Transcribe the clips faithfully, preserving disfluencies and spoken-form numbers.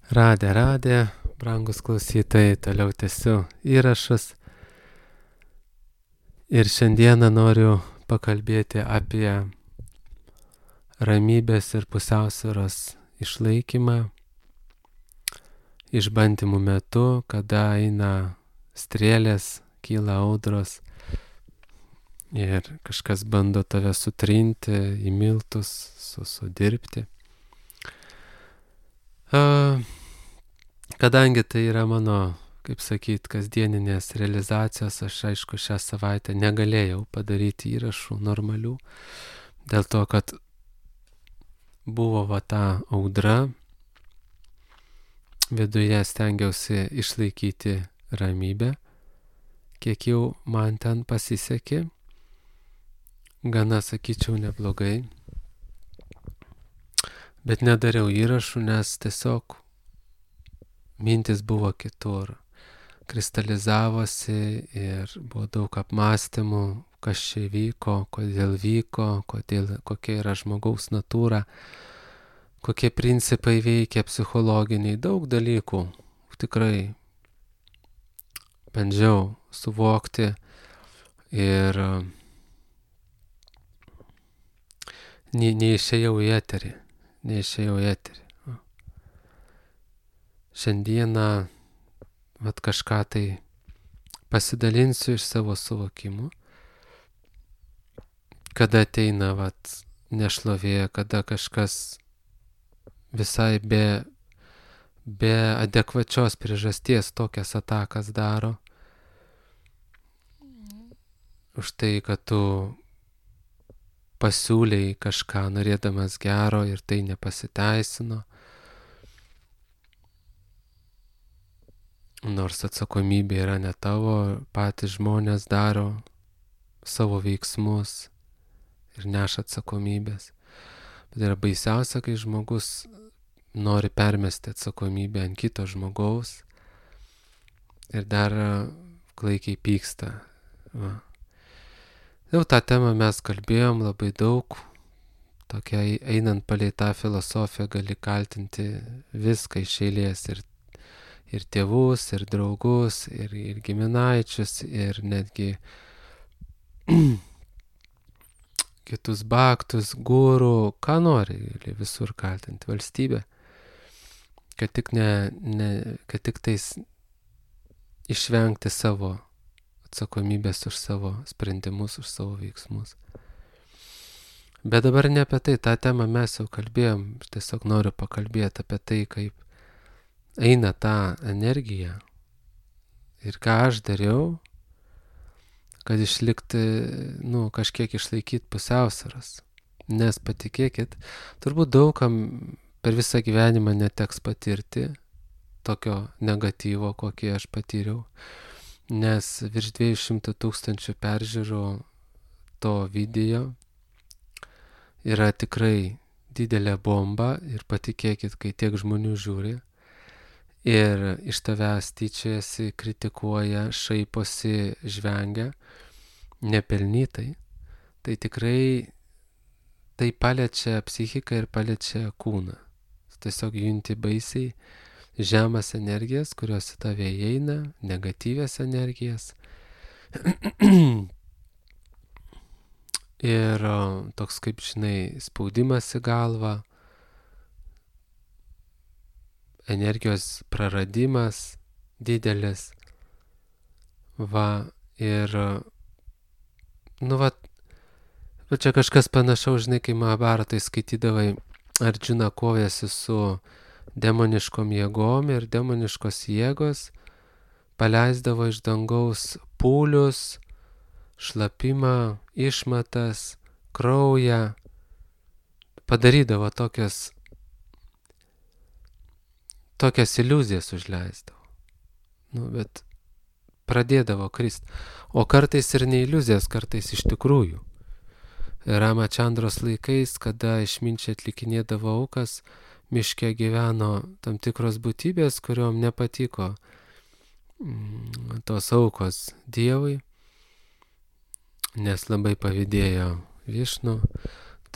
Radė, radė, brangus klausytojai, toliau tęsiu įrašus. Ir šiandieną noriu pakalbėti apie ramybės ir pusiausvyros išlaikymą išbandymų metu, kada eina strėlės, kyla audros ir kažkas bando tave sutrinti, į miltus, sudirbti. Uh, Kadangi tai yra mano, kaip sakyt, kasdieninės realizacijos, aš aišku šią savaitę negalėjau padaryti įrašų normalių, dėl to, kad buvo va ta audra, viduje stengiausi išlaikyti ramybę, kiek jau man ten pasisekė, gana sakyčiau neblogai, bet nedariau įrašų, nes tiesiog mintis buvo kitur, kristalizavosi ir buvo daug apmąstymų, kas čia vyko, kodėl vyko, kodėl, kokia yra žmogaus natūra, kokie principai veikia psichologiniai, daug dalykų. Tikrai bandžiau suvokti ir ne, neišėjau į eterį, neišėjau į eterį. Šiandieną vat kažką tai pasidalinsiu iš savo suvokimų, kada ateina vat nešlovė, kada kažkas visai be, be adekvačios priežasties tokias atakas daro, už tai, kad tu pasiūlei kažką norėdamas gero ir tai nepasiteisino. Nors atsakomybė yra ne tavo, patys žmonės daro savo veiksmus ir neša atsakomybės. Bet yra baisiausia, kai žmogus nori permesti atsakomybę ant kito žmogaus ir dar klaikiai pyksta. Va. Jau tą temą mes kalbėjom labai daug. Tokia einant palei tą filosofiją gali kaltinti viską iš eilės ir ir tėvus, ir draugus, ir, ir giminaičius, ir netgi kitus baktus, gurų, ką nori, visur kaltinti valstybę, kad tik, ne, ne, kad tik tais išvengti savo atsakomybės už savo sprendimus, už savo veiksmus. Bet dabar ne apie tai, tą temą mes jau kalbėjom, tiesiog noriu pakalbėti apie tai, kaip eina ta energija ir ką aš dariau, kad išlikti, nu, kažkiek išlaikyti pusiausvyros. Nes patikėkit, turbūt daugam per visą gyvenimą neteks patirti tokio negatyvo, kokį aš patyriau, nes virš dviejų šimtų tūkstančių peržiūrų to video yra tikrai didelė bomba ir patikėkit, kai tiek žmonių žiūri, ir iš tavęs tyčiasi, kritikuoja, šaiposi, žvengia, nepelnytai, tai tikrai tai paliečia psichiką ir paliečia kūną. Tiesiog junti baisiai žemas energijas, kurios į tave įeina, negatyvias energijas. Ir toks, kaip žinai, spaudimas į galvą, energijos praradimas didelis, va, ir, nu, va, va čia kažkas panašaus, žinai, kai Mahabharatai skaitydavai, Ardžuna kovėsi su demoniškom jėgom ir demoniškos jėgos paleisdavo iš dangaus pūlius, šlapimą, išmatas, kraują, padarydavo tokias tokias iliuzijas užleisdavo. Nu, bet pradėdavo krist. O kartais ir ne iliuzijas, kartais iš tikrųjų. Ramačandros laikais, kada išminčiai atlikinėdavo aukas, miške gyveno tam tikros būtybės, kuriuom nepatiko mm, tos aukos Dievui, nes labai pavydėjo Višnu,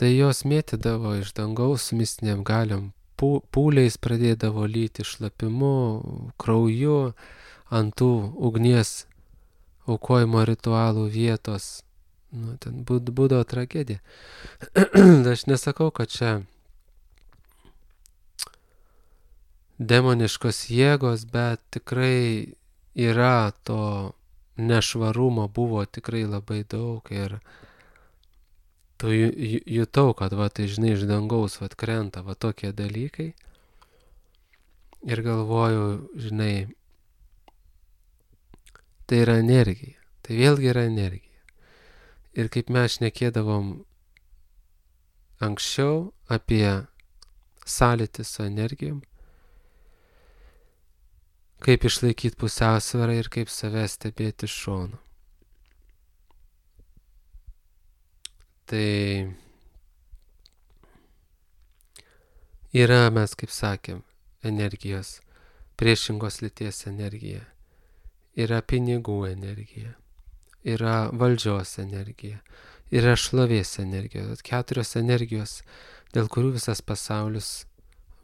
tai jos mėtydavo iš dangaus su mistinėm galiom pūliais pradėdavo lyti, šlapimu, krauju ant tų ugnies aukojimo ritualų vietos. Nu, ten būdavo tragedija. Aš nesakau, kad čia demoniškos jėgos, bet tikrai yra to nešvarumo, buvo tikrai labai daug ir tu jutau, kad va, tai žinai, iš dangaus va, krenta va tokie dalykai ir galvoju, žinai, tai yra energija, tai vėlgi yra energija. Ir kaip mes šnekėdavom anksčiau apie sąlytį su energijom, kaip išlaikyti pusiausvyrą ir kaip save stebėti iš šono. Tai yra, mes kaip sakėm, energijos, priešingos lyties energija, yra pinigų energija, yra valdžios energija, yra šlovės energija. Keturios energijos, dėl kurių visas pasaulis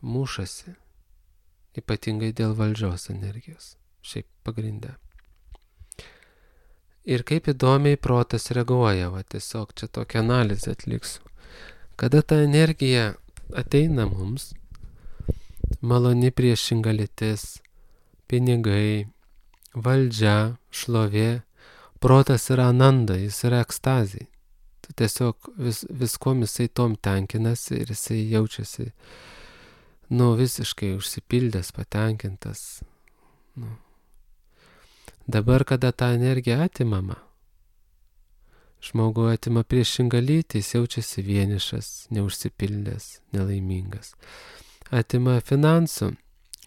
mušasi, ypatingai dėl valdžios energijos, šiaip pagrindę. Ir kaip įdomiai protas reaguoja, va tiesiog čia tokią analizę atliksiu. Kada ta energija ateina mums, maloni priešinga lytis, pinigai, valdžia, šlovė, protas yra ananda, jis yra ekstazija. Tu tiesiog vis, viskom jisai tom tenkinasi ir jisai jaučiasi, nu, visiškai užsipildęs, patenkintas. Nu. Dabar, kada ta energija atimama, žmogui atima priešingą lytį, jis jaučiasi vienišas, neužsipildęs, nelaimingas. Atima finansų,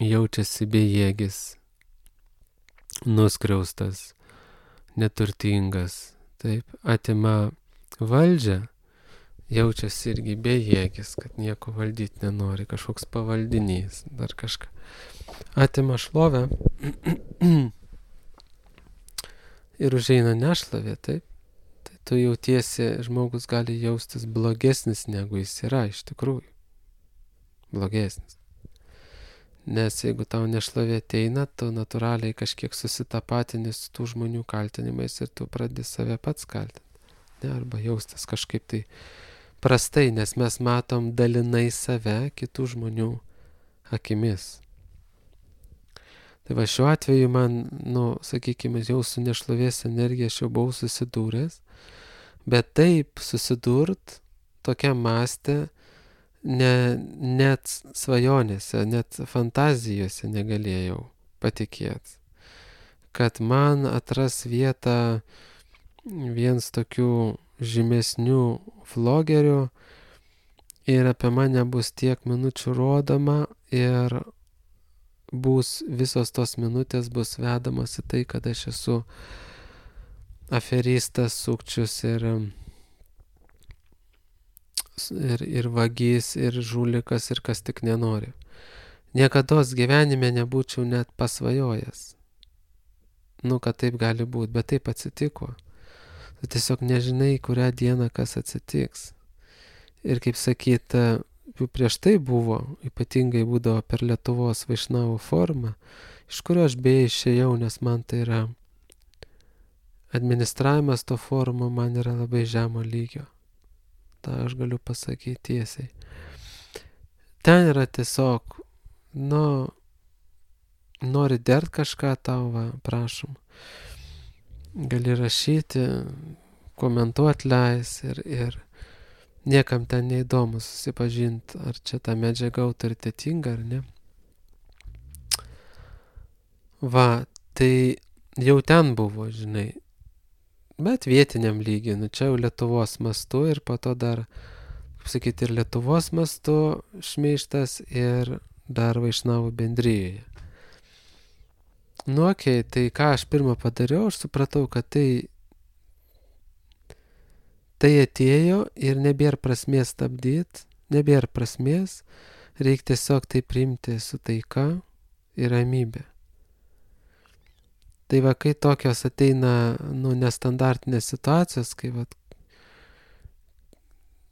jaučiasi bejėgis, nuskriaustas, neturtingas. Taip, atima valdžią, jaučiasi irgi bejėgis, kad nieko valdyti nenori, kažkoks pavaldinys, dar kažką. Atima šlovę ir užeina nešlovė, taip. Tai tu jautiesi, žmogus gali jaustis blogesnis, negu jis yra iš tikrųjų. Blogesnis. Nes jeigu tau nešlovė ateina, tu natūraliai kažkiek susitapatini su tų žmonių kaltinimais ir tu pradedi save pats kaltinti. Ne, arba jaustis kažkaip tai prastai, nes mes matom dalinai save kitų žmonių akimis. Tai va šiuo atveju man, nu, sakykime, jau su nešlovės energija aš jau buvau susidūręs, bet taip susidurt tokiam mąste, ne, net svajonėse, net fantazijose negalėjau patikėti, kad man atras vietą vienas tokių žymesnių vlogerių ir apie mane bus tiek minučių rodoma ir bus, visos tos minutės bus vedamos į tai, kad aš esu aferistas, sukčius ir, ir, ir vagys, ir žulikas, ir kas tik nenori. Niekados gyvenime nebūčiau net pasvajojęs. Nu, kad taip gali būti, bet taip atsitiko. Tu tiesiog nežinai, kurią dieną kas atsitiks. Ir kaip sakyt, jau prieš tai buvo, ypatingai būdavo per Lietuvos vaišnavų formą, iš kurio aš beje išėjau, nes man tai yra administravimas to forumo man yra labai žemo lygio. Ta aš galiu pasakyti tiesiai. Ten yra tiesiog, nu, nori dert kažką tau, va, prašom. Gali rašyti, komentuoti leis ir, ir niekam ten neįdomu susipažinti, ar čia ta medžiaga autoritetinga ar ne. Va, tai jau ten buvo, žinai, bet vietiniam lygiai, nu čia jau Lietuvos mastu ir po to dar, kaip sakyti, ir Lietuvos mastu šmeižtas ir dar vaišnavų bendrijoje. Nu, okei, okay, tai ką aš pirmą padariau, aš supratau, kad tai Tai atėjo ir nebėra prasmės stabdyti, nebėra prasmės, reikia tiesiog tai priimti su taika ir ramybė. Tai va, kai tokios ateina, nu, nestandartinės situacijos, kai va,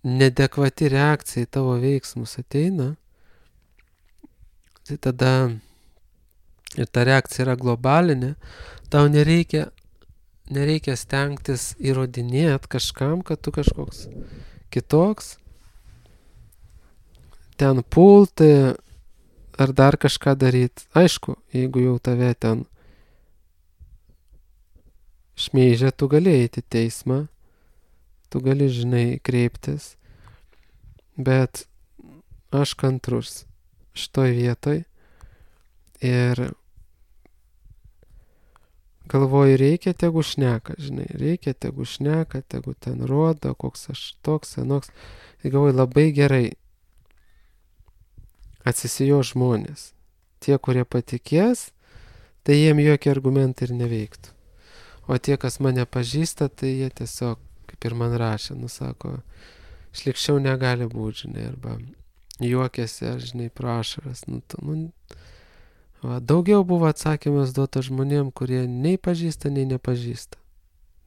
nedekvati reakcija į tavo veiksmus ateina, tai tada ir ta reakcija yra globalinė, tau nereikia, nereikia stengtis įrodinėti kažkam, kad tu kažkoks kitoks, ten pulti ar dar kažką daryti. Aišku, jeigu jau tave ten šmeižia, tu gali eiti į teismą, tu gali, žinai, kreiptis, bet aš kantrus šitoj vietoj ir galvoju, reikia, tegu šneka, žinai, reikia, tegu šneka, tegu ten rodo, koks aš toks, anoks. Ir galvoju, labai gerai atsisijo žmonės. Tie, kurie patikės, tai jiem jokie argumentai ir neveiktų. O tie, kas mane pažįsta, tai jie tiesiog, kaip ir man rašė, nusako, šlikščiau negali būti, žinai, arba juokėsi, ar, žinai, pro ašaras. Nu, nu, va, daugiau buvo atsakymas duota žmonėm, kurie nei pažįsta, nei nepažįsta.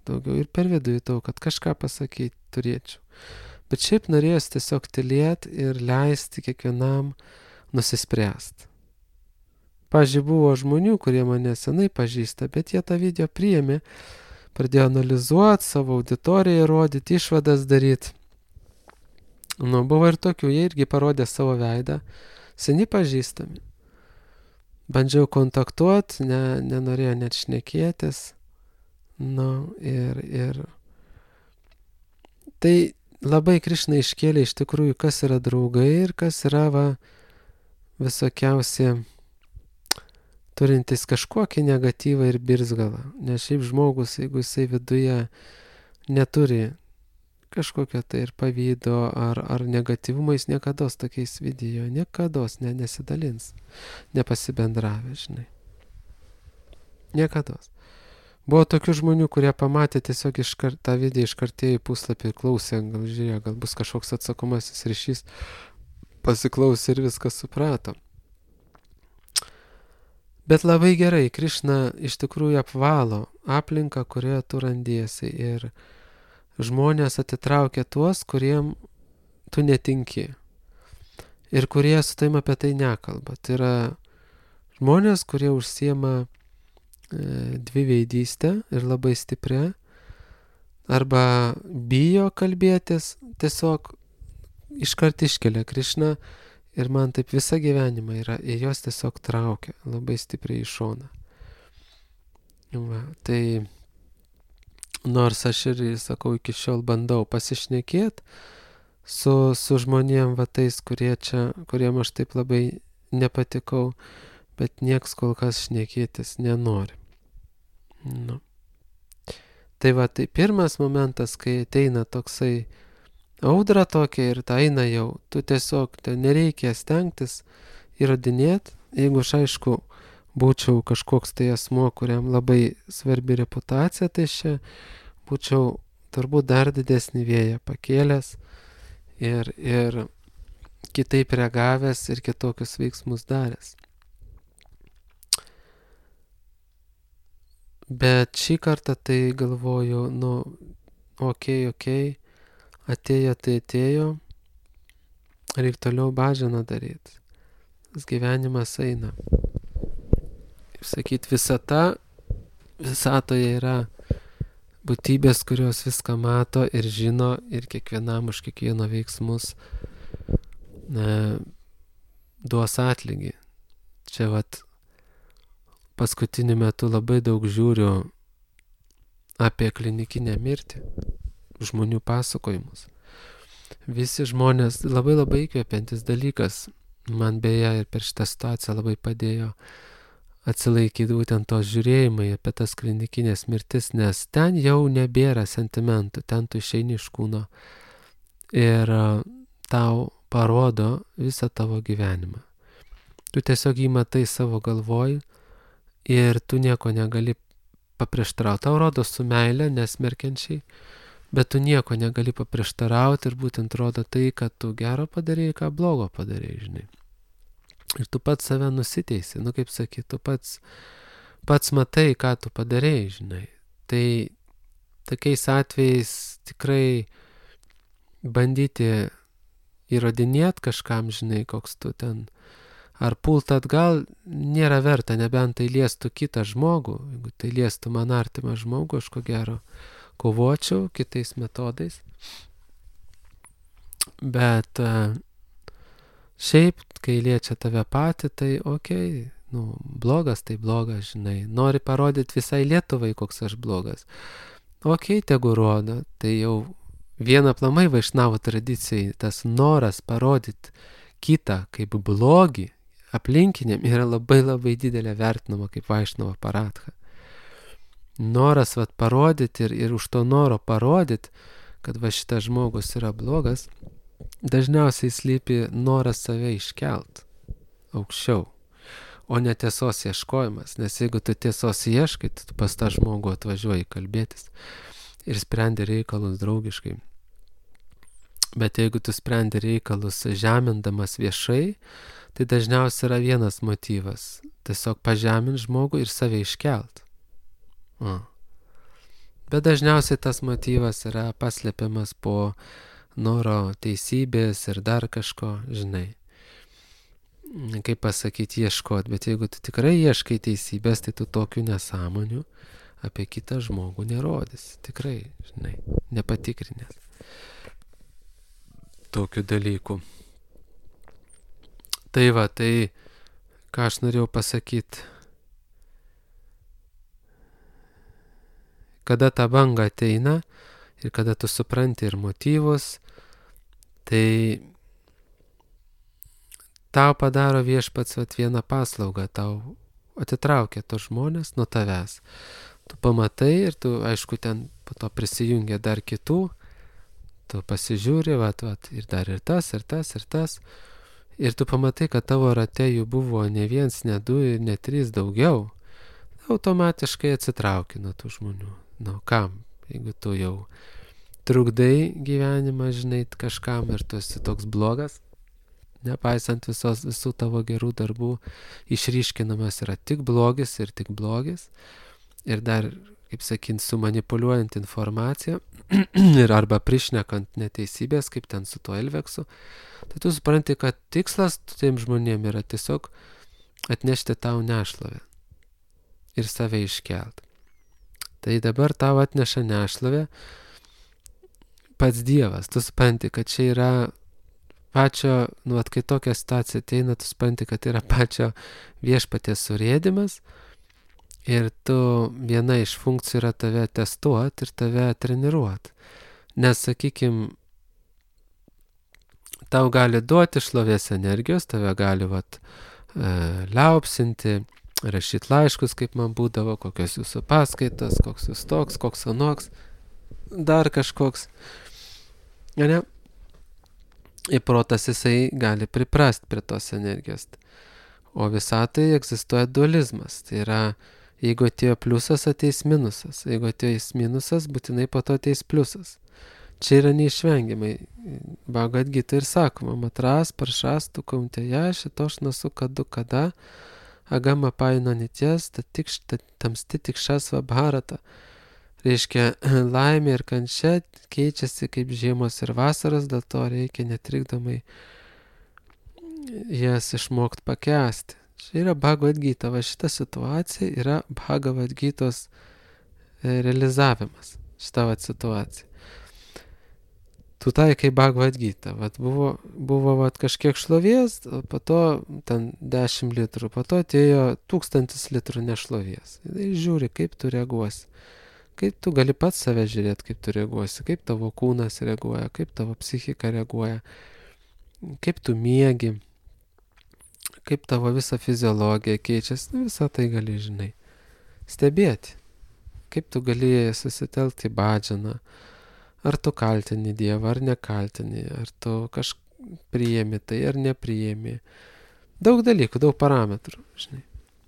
Daugiau ir per vidų jutau, kad kažką pasakyti turėčiau. Bet šiaip norėjos tiesiog tylėti ir leisti kiekvienam nusispręsti. Pavyzdžiui, buvo žmonių, kurie mane senai pažįsta, bet jie tą video priėmė, pradėjo analizuoti, savo auditoriją rodyti, išvadas daryti. Nu, buvo ir tokių, jie irgi parodė savo veidą, seni pažįstami. Bandžiau kontaktuoti, ne, nenorėjo net šnekėtis. Nu, ir, ir... Tai labai Krišna iškėlė iš tikrųjų, kas yra draugai ir kas yra va, visokiausi turintis kažkokį negatyvą ir birzgalą. Nes šiaip žmogus, jeigu jisai viduje neturi kažkokio tai ir pavydo ar, ar negatyvumo, jis niekados tokiais video, niekados ne, nesidalins, nepasibendravė, žinai. Niekados. Buvo tokių žmonių, kurie pamatė tiesiog iškart, tą video iškartėjo į puslapį ir klausė, gal žiūrėjo, gal bus kažkoks atsakomasis ryšys, pasiklausė ir viską suprato. Bet labai gerai, Krišna iš tikrųjų apvalo aplinką, kurioje tu randiesi ir žmonės atitraukia tuos, kuriem tu netinki ir kurie su taim apie tai nekalba. Tai yra žmonės, kurie užsiema e, dviveidystę ir labai stiprią, arba bijo kalbėtis, tiesiog iškart iškelia Krišną ir man taip visą gyvenimą yra, ir jos tiesiog traukia labai stipriai į šoną. Va, tai nors aš ir, sakau, iki šiol bandau pasišnekėti su, su žmonėm va tais, kurie čia, kuriem aš taip labai nepatikau, bet nieks kol kas šnekėtis nenori. Nu. Tai va, tai pirmas momentas, kai ateina toksai audra tokia ir ta eina jau, tu tiesiog, ten nereikia stengtis įrodinėti, jeigu aš aišku būčiau kažkoks tai asmuo, kuriam labai svarbi reputacija, tai čia būčiau turbūt dar didesnį vėją pakėlęs ir, ir kitaip reagavęs ir kitokius veiksmus daręs. Bet šį kartą tai galvoju, nu, okei, okay, okei, okay, atėjo tai atėjo, reikia toliau bažiną daryti. Tas gyvenimas eina. Kaip sakyt, visata, visatoje yra būtybės, kurios viską mato ir žino ir kiekvienam už kiekvieno veiksmus ne, duos atlygį. Čia vat paskutiniu metu labai daug žiūriu apie klinikinę mirtį, žmonių pasakojimus. Visi žmonės, labai labai įkvepiantis dalykas, man beje ir per šitą situaciją labai padėjo atsilaikyti būtent to žiūrėjimai apie tas klinikinės mirtis, nes ten jau nebėra sentimentų, ten tu išeini iš kūno ir tau parodo visą tavo gyvenimą. Tu tiesiog jį matai savo galvoj ir tu nieko negali paprieštarauti. Tau rodo su meile, nesmerkiančiai, bet tu nieko negali paprieštarauti ir būtent rodo tai, kad tu gero padarėjai, ką blogo padarėjai, žinai. Ir tu pats save nusiteisi, nu kaip sakyt, tu pats, pats matai, ką tu padarėjai, žinai. Tai tokiais atvejais tikrai bandyti įrodinėti kažkam, žinai, koks tu ten Ar pult atgal nėra verta, nebent tai liestų kitą žmogų. Jeigu tai liestų man artimą žmogų, aš ko gero kovočiau kitais metodais. Bet šiaip, kai liečia tave patį, tai okei, okay, nu, blogas tai blogas, žinai. Nori parodyti visai Lietuvai, koks aš blogas. Okei, okay, tegu rodo, tai jau viena aplamai vaišnavo tradicijai, tas noras parodyti kitą kaip blogį aplinkiniam yra labai labai didelė vertinama kaip vaišnavo paradha. Noras vat parodyti ir, ir už to noro parodyti, kad va šitas žmogus yra blogas, dažniausiai slypi noras save iškelt aukščiau, o ne tiesos ieškojimas. Nes jeigu tu tiesos ieškai, tu pas tą žmogų atvažiuoji kalbėtis ir sprendi reikalus draugiškai. Bet jeigu tu sprendi reikalus žemindamas viešai, tai dažniausiai yra vienas motyvas – tiesiog pažemint žmogų ir save iškelt. O. Bet dažniausiai tas motyvas yra paslėpiamas po noro teisybės ir dar kažko, žinai. Kaip pasakyti, ieškot, bet jeigu tu tikrai ieškai teisybės, tai tu tokių nesąmonių apie kitą žmogų nerodys. Tikrai, žinai, nepatikrinęs tokių dalykų. Tai va, tai ką aš norėjau pasakyti. Kada ta banga ateina ir kada tu supranti ir motyvus, tai tau padaro viešpats vat vieną paslaugą, tau atitraukia tos žmonės nuo tavęs. Tu pamatai ir tu, aišku, ten po to prisijungia dar kitų, tu pasižiūri, vat, vat, ir dar ir tas, ir tas, ir tas. Ir tu pamatai, kad tavo rate jų buvo ne viens, ne du ir ne trys daugiau. Automatiškai atsitrauki nuo tų žmonių. Nu, kam? Jeigu tu jau trukdai gyvenimą, žinai, kažkam ir tu esi toks blogas, nepaisant visos, visų tavo gerų darbų, išryškinamas yra tik blogis ir tik blogis. Ir dar, kaip sakint, sumanipuliuojant informaciją ir arba prišnekant neteisybės, kaip ten su tuo Elveksu, tai tu supranti, kad tikslas tiem žmonėm yra tiesiog atnešti tau nešlovę ir save iškelt. Tai dabar tau atneša nešlovę pats Dievas. Tu supranti, kad čia yra pačio, nu, at kai tokia situacija ateina, tu supranti, kad yra pačio viešpaties surėdimas. Ir tu viena iš funkcijų yra tave testuot ir tave treniruot. Nes, sakykim, tau gali duoti šlovės energijos, tave gali vat, e, liaupsinti, rašyti laiškus, kaip man būdavo, kokios jūsų paskaitos, koks jūs toks, koks anoks, dar kažkoks. Ne? Ir protas jisai gali priprast prie tos energijos. O visatai egzistuoja dualizmas. Tai yra, jeigu atėjo pliusas, ateis minusas. Jeigu ateis minusas, būtinai po to ateis pliusas. Čia yra neišvengiamai. Bhagavad Gita ir sakoma, matras, paršas, tu kaunteja, šitoš nasu kadu kada, agama paino nities, tamsti tik šasva bharata. Reiškia, laimė ir kančia keičiasi kaip žiemos ir vasaros, dėl to reikia netrikdomai jas išmokti pakęsti. Čia yra Bhagavad Gita, va šita situacija yra Bhagavad Gitos realizavimas, šita va situacija. Tu taikai Bhagavad Gita, vat buvo, buvo vat kažkiek šlovės, po to ten dešimt litrų, po to atėjo tūkstantis litrų nešlovės. Ir žiūri, kaip tu reaguosi. Kaip tu gali pats save žiūrėti, kaip tu reaguosi, kaip tavo kūnas reaguoja, kaip tavo psichika reaguoja, kaip tu miegi, kaip tavo visa fiziologija keičiasi, visą tai gali, žinai, stebėti. Kaip tu gali susitelkti į bhadžaną, ar tu kaltini Dievą, ar nekaltini, ar tu kažką priėmi tai, ar nepriėmi. Daug dalykų, daug parametrų, žinai.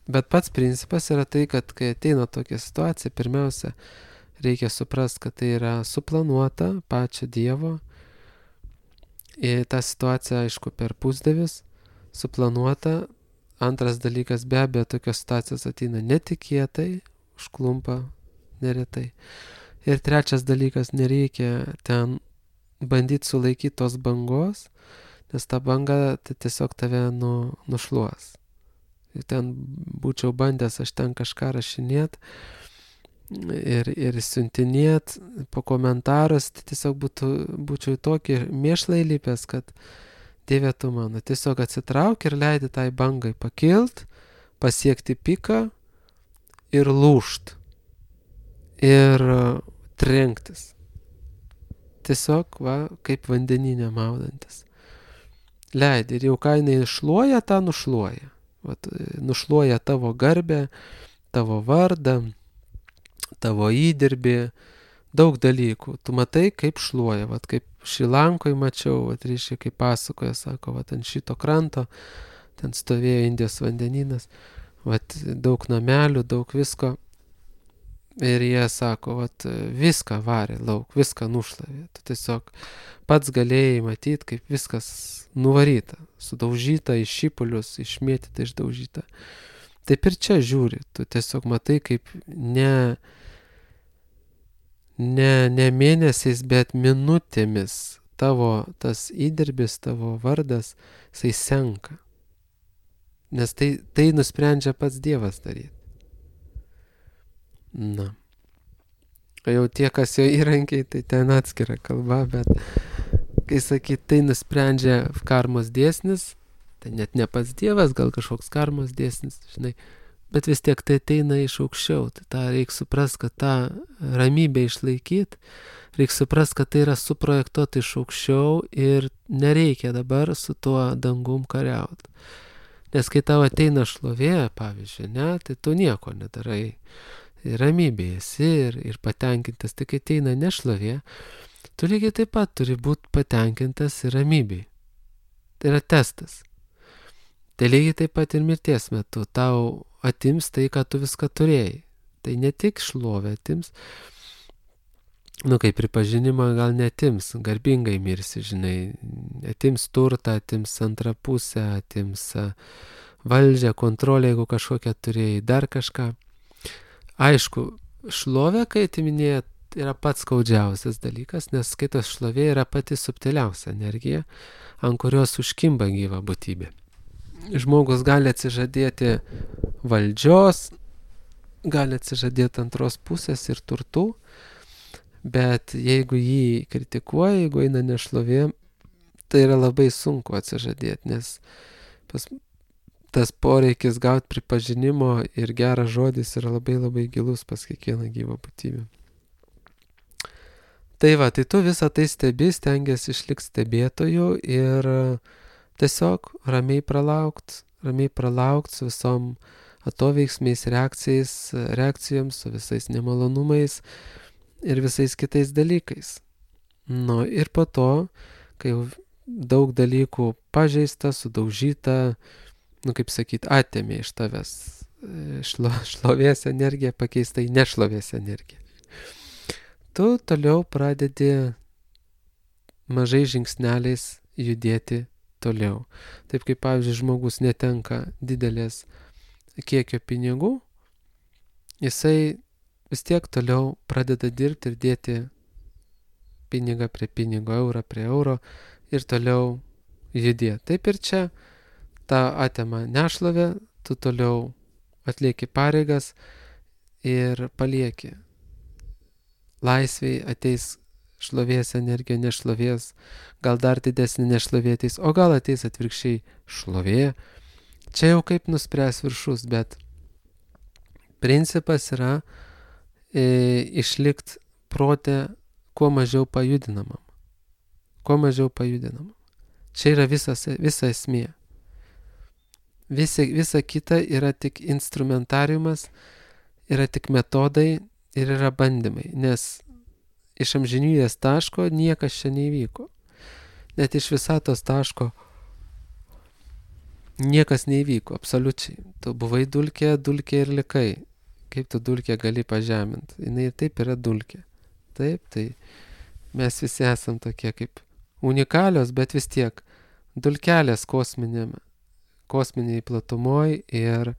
Bet pats principas yra tai, kad kai ateina tokia situacija, pirmiausia, reikia suprasti, kad tai yra suplanuota pačio Dievo. Ir ta situacija, aišku, per pusdievis suplanuota. Antras dalykas, be abejo, tokios situacijos ateina netikėtai, užklumpa neretai. Ir trečias dalykas, nereikia ten bandyti sulaikyti tos bangos, nes ta banga tai tiesiog tave nu, nušluos. Ir ten būčiau bandęs aš ten kažką rašinėt ir, ir siuntinėt po komentarus, tai tiesiog būtų, būčiau į tokį mėšlą įlipęs, kad Dieve tu mano, tiesiog atsitrauk ir leidi tai bangai pakilt, pasiekti piką ir lūžt. Ir trenktis. Tiesiog, va, kaip vandeninė maudantis. Leidi ir jau ką jinai šluoja, tą nušluoja. Vat, nušluoja tavo garbę, tavo vardą, tavo įdirbį, daug dalykų. Tu matai, kaip šluoja, vat, kaip Šrilankoj mačiau, vat, reiškia, kaip pasakoja, sako, vat, ant šito kranto, ten stovėjo Indijos vandenynas, vat, daug namelių, daug visko. Ir jie sako, vat, viską varė lauk, viską nušlavė. Tu tiesiog pats galėjai matyti, kaip viskas nuvaryta, sudaužyta iš šipulius, išmėtyta, išdaužyta. Taip ir čia žiūri, tu tiesiog matai, kaip ne, ne, ne mėnesiais, bet minutėmis tavo tas įdirbis, tavo vardas, jisai senka. Nes tai, tai nusprendžia pats Dievas daryti. Na. O jau tie, kas jo įrankiai, tai ten atskira kalba, bet kai sakyt, tai nusprendžia karmos dėsnis, tai net ne pats Dievas, gal kažkoks karmos dėsnis, žinai, bet vis tiek tai ateina iš aukščiau. Tai tą reikia suprasti, kad tą ramybę išlaikyti, reikia suprasti, kad tai yra suprojektuota iš aukščiau ir nereikia dabar su tuo dangum kariauti. Nes kai tau ateina šlovė, pavyzdžiui, ne, tai tu nieko nedarai. Ramybė esi ir, ir patenkintas, tai kai ateina nešlovė, tu lygiai taip pat turi būti patenkintas ir ramybėj. Tai yra testas. Tai lygiai taip pat ir mirties metu tau atims tai, ką tu viską turėjai. Tai ne tik šlovė atims, nu kaip pripažinimą gal netims, garbingai mirsi, žinai, atims turtą, atims antrą pusę, atims valdžią, kontrolę, jeigu kažkokią turėjai, dar kažką. Aišku, šlovė, kai atiminėja, yra pats skaudžiausias dalykas, nes skaitos šlovė yra pati subtiliausia energija, ant kurios užkimba gyva būtybė. Žmogus gali atsižadėti valdžios, gali atsižadėti antros pusės ir turtų, bet jeigu jį kritikuoja, jeigu eina nešlovė, tai yra labai sunku atsižadėti, nes pas tas poreikis gauti pripažinimo ir geras žodis yra labai labai gilus pas kiekvieną gyvą būtybę. Tai va, tai tu visą tai stebi, stengiasi išlikti stebėtoju ir tiesiog ramiai pralaukt, ramiai pralaukt su visom atoveiksmiais, reakcijais, reakcijoms, su visais nemalonumais ir visais kitais dalykais. Nu ir po to, kai jau daug dalykų pažeista, sudaužyta, nu kaip sakyt, atėmė iš tavęs šlo, šlovės energiją, pakeista į nešlovės energiją. Tu toliau pradedi mažai žingsneliais judėti toliau. Taip kaip, pavyzdžiui, žmogus netenka didelės kiekio pinigų, jisai vis tiek toliau pradeda dirbti ir dėti pinigą prie pinigo, eurą prie euro ir toliau judėti. Taip ir čia ta atema nešlovė, tu toliau atlieki pareigas ir palieki. Laisviai ateis šlovės energija, nešlovės, gal dar didesnė nešlovė ateis, o gal ateis atvirkščiai šlovė. Čia jau kaip nuspręs viršus, bet principas yra e, išlikti protę kuo mažiau pajudinamam. Kuo mažiau pajudinamam. Čia yra visas, visa esmė. Visa, visa kita yra tik instrumentariumas, yra tik metodai ir yra bandymai, nes iš amžinybės taško niekas čia neįvyko. Net iš visatos taško niekas neįvyko, absoliučiai. Tu buvai dulkė, dulkė ir likai. Kaip tu dulkė gali pažeminti? Jinai taip yra dulkė. Taip, tai mes visi esam tokie kaip unikalios, bet vis tiek dulkelės kosminėme. kosminiai platumoj ir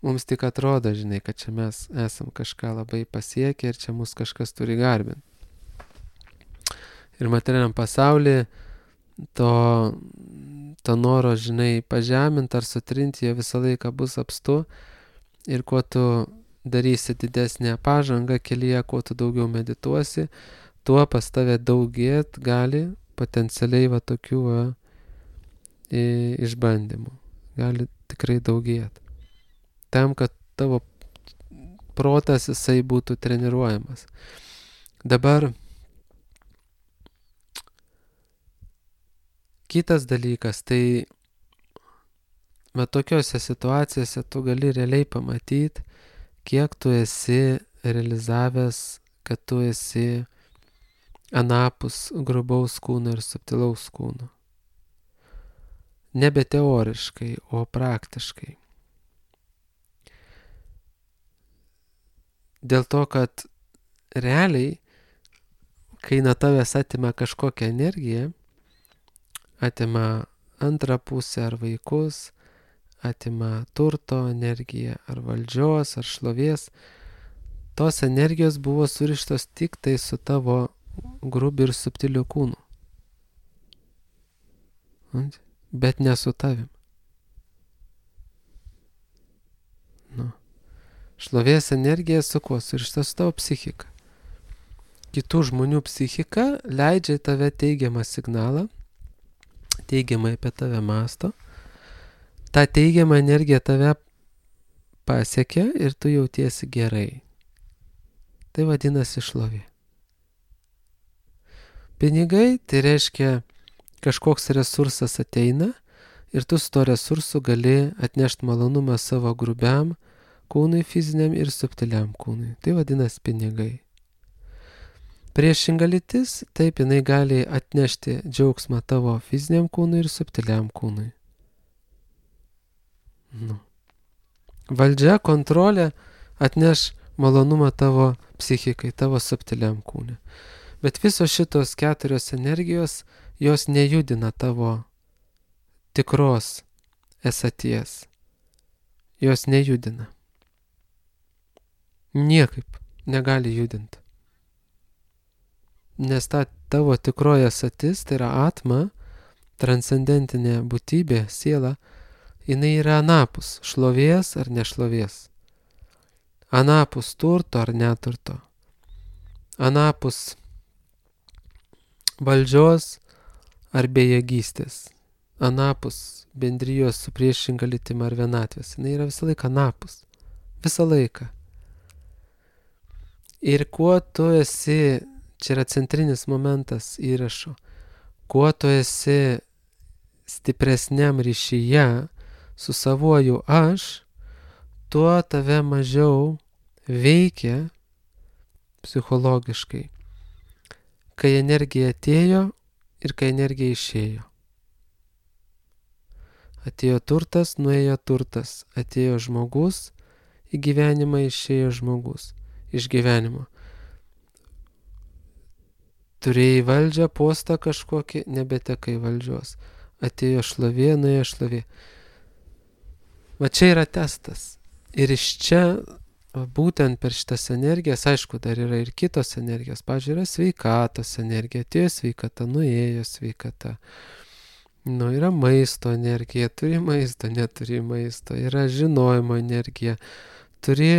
mums tik atrodo, žinai, kad čia mes esam kažką labai pasiekę ir čia mus kažkas turi garbinti. Ir materialiam pasaulyje to, to noro, žinai, pažeminti ar sutrinti, jie visą laiką bus apstu. Ir kuo tu darysi didesnę pažangą kelyje, kuo tu daugiau medituosi, tuo pas tave daugėt gali potencialiai va tokių va, išbandymų. Gali tikrai daugėt. Tam, kad tavo protas jisai būtų treniruojamas. Dabar kitas dalykas, tai va tokiose situacijose tu gali realiai pamatyti, kiek tu esi realizavęs, kad tu esi anapus grubaus kūno ir subtilaus kūno. Nebe teoriškai, o praktiškai. Dėl to, kad realiai, kai nuo tavęs atima kažkokią energiją, atima antrą pusę ar vaikus, atima turto energiją, ar valdžios, ar šlovės, tos energijos buvo surištos tik tai su tavo grubiu ir subtiliu kūnu. Bet ne su tavim. Nu. Šlovės energija su kuo? Surišta su tavo psichika. Kitų žmonių psichika leidžia tave teigiamą signalą, teigiamai apie tave mąsto. Ta teigiama energija tave pasiekia ir tu jautiesi gerai. Tai vadinasi šlovė. Pinigai, tai reiškia, kažkoks resursas ateina ir tu su to resursu gali atnešti malonumą savo grubiam kūnui, fiziniam ir subtiliam kūnui. Tai vadinasi pinigai. Priešinga lytis, taip jinai gali atnešti džiaugsmą tavo fiziniam kūnui ir subtiliam kūnui. Nu. Valdžia, kontrolė atneš malonumą tavo psichikai, tavo subtiliam kūnui. Bet visos šitos keturios energijos, jos nejudina tavo tikros esaties. Jos nejudina. Niekaip negali judinti. Nes ta tavo tikroji esatis, tai yra atma, transcendentinė būtybė, siela, jinai yra anapus šlovės ar nešlovės. Anapus turto ar neturto. Anapus valdžios ar bejėgystės. Anapus bendrijos su priešinga lytim ar vienatvės. Jinai yra visą laiką anapus. Visą laiką. Ir kuo tu esi, čia yra centrinis momentas įrašo, kuo tu esi stipresniam ryšyje su savuoju aš, tuo tave mažiau veikia psichologiškai, kai energija atėjo ir kai energija išėjo. Atėjo turtas, nuėjo turtas, atėjo žmogus, į gyvenimą išėjo žmogus, iš gyvenimo. Turėjai valdžią, postą kažkokį, nebetekai valdžios. Atėjo šlovė, nuėjo šlovė. Va čia yra testas. Ir iš čia, būtent per šitas energijas, aišku, dar yra ir kitos energijos. Pavyzdžiui, yra sveikatos energija. Atėjo sveikata, nuėjo sveikata. Nu, yra maisto energija, turi maisto, neturi maisto. Yra žinojimo energija. Turi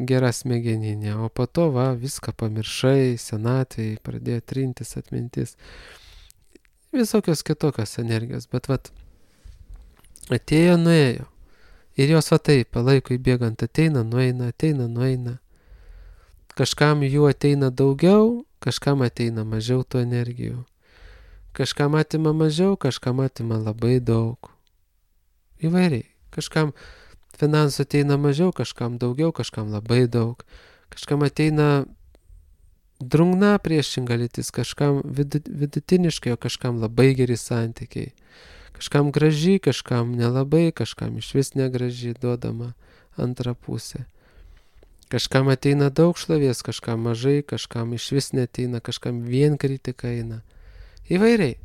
gerą smegeninę, o po to va, viską pamiršai, senatvėj pradėjo trintis atmintis. Visokios kitokios energijos, bet vat atėjo, nuėjo. Ir jos va taip, palaikui bėgant ateina, nueina, ateina, nueina. Kažkam jų ateina daugiau, kažkam ateina mažiau tų energijų. Kažkam atima mažiau, kažkam atima labai daug. Įvairiai. Kažkam finansų ateina mažiau, kažkam daugiau, kažkam labai daug. Kažkam ateina drungna priešinga lytis, kažkam vidutiniškai, o kažkam labai geri santykiai. Kažkam graži, kažkam nelabai, kažkam iš vis negraži, duodama antrą pusę. Kažkam ateina daug šlovės, kažkam mažai, kažkam iš vis neteina, kažkam vien kritika eina. Įvairiai.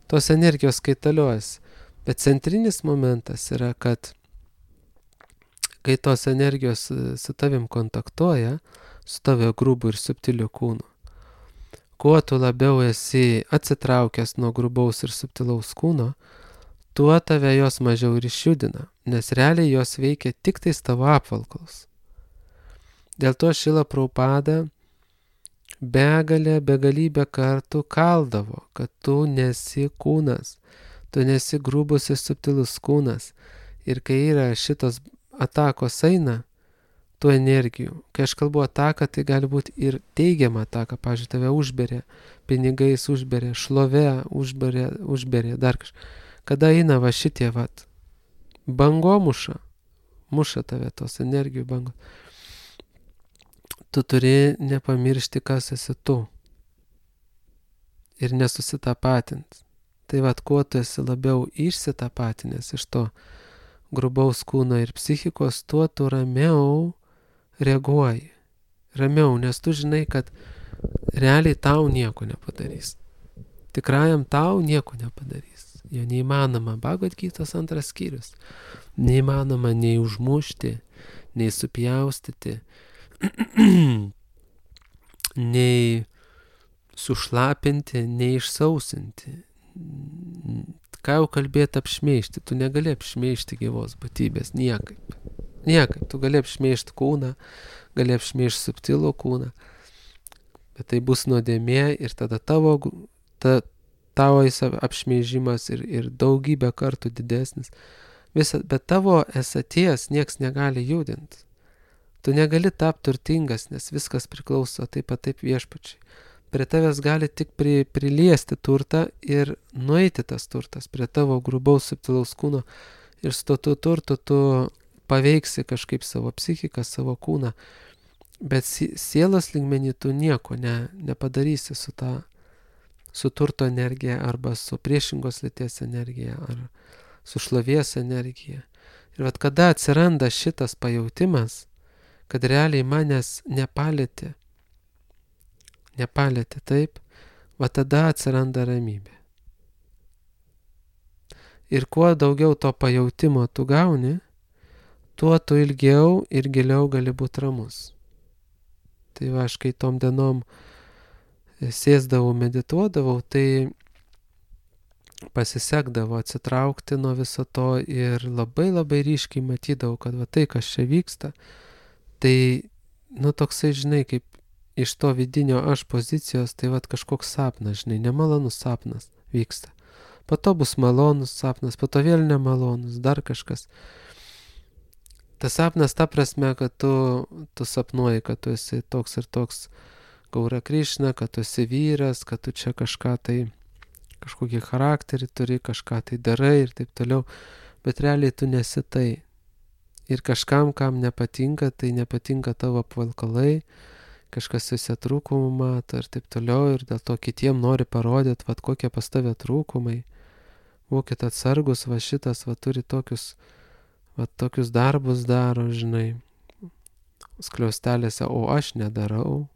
Tos energijos kaitaliojasi. Bet centrinis momentas yra, kad kai tos energijos su tavim kontaktuoja, su tavio grubų ir subtiliu kūnu, kuo tu labiau esi atsitraukęs nuo grubaus ir subtilaus kūno, tuo tave jos mažiau ir išjudina, nes realiai jos veikia tik tais tavo apvalkalus. Dėl to Šrila Prabhupada begalę, begalybę kartų kaldavo, kad tu nesi kūnas, tu nesi grubus ir subtilus kūnas. Ir kai yra šitos atakos eina, tų energijų, kai aš kalbu ataką, tai gali būti ir teigiama ataka, pavyzdžiui, tave užberė, pinigais užberė, šlove užberė, užberė, dar kažką. Kada eina va šitie, vat, bango muša, muša tave tos energijų bango. Tu turi nepamiršti, kas esi tu. Ir nesusitapatint. Tai vat, kuo tu esi labiau išsitapatinęs iš to grubaus kūno ir psichikos, tuo tu ramiau reaguoji. Ramiau, nes tu žinai, kad realiai tau nieko nepadarys. Tikrajam tau nieko nepadarys. Jo neįmanoma, Bhagavad Gytos antras skyrius. Neįmanoma nei užmušti, nei supjaustyti, nei sušlapinti, nei išsausinti. Ką jau kalbėti apšmeižti, tu negali apšmeižti gyvos būtybės, niekaip. Niekaip, tu gali apšmeižti kūną, gali apšmeižti subtilų kūną, bet tai bus nuodėmė ir tada tavo, ta, tavo apšmeižimas ir, ir daugybę kartų didesnis. Visa, bet tavo esaties nieks negali judinti. Tu negali tapti turtingas, nes viskas priklauso taip pat taip viešpačiai. Prie tavęs gali tik pri, priliesti turtą ir nueiti tas turtas prie tavo grubaus subtilaus kūno ir su to turtu tu paveiksi kažkaip savo psichiką, savo kūną, bet sielos lygmenį tu nieko ne, nepadarysi su ta, su turto energija arba su priešingos lyties energija ar su šlovės energija. Ir vat kada atsiranda šitas pajautimas, kad realiai manęs nepalėtė, nepalėtė taip, va tada atsiranda ramybė. Ir kuo daugiau to pajautimo tu gauni, tuo tu ilgiau ir giliau gali būti ramus. Tai va, aš kai tom dienom sėsdavau, medituodavau, tai pasisekdavo atsitraukti nuo viso to ir labai labai ryškiai matydavau, kad va tai, kas čia vyksta, tai, nu, toksai, žinai, kaip iš to vidinio aš pozicijos, tai vat kažkoks sapnas, žinai, nemalonus sapnas vyksta. Po to bus malonus sapnas, po to vėl nemalonus, dar kažkas. Tas sapnas ta prasme, kad tu, tu sapnuoji, kad tu esi toks ir toks Gaura Krišna, kad tu esi vyras, kad tu čia kažką tai, kažkokį charakterį turi, kažką tai darai ir taip toliau, bet realiai tu nesi tai. Ir kažkam, kam nepatinka, tai nepatinka tavo apvalkalai, kažkas visi trūkumų mato ir taip toliau, ir dėl to kitiem nori parodyti, vat kokie pas tave trūkumai. Būkit atsargus, va šitas, va turi tokius, va tokius darbus daro, žinai, skliaustelėse, o aš nedarau.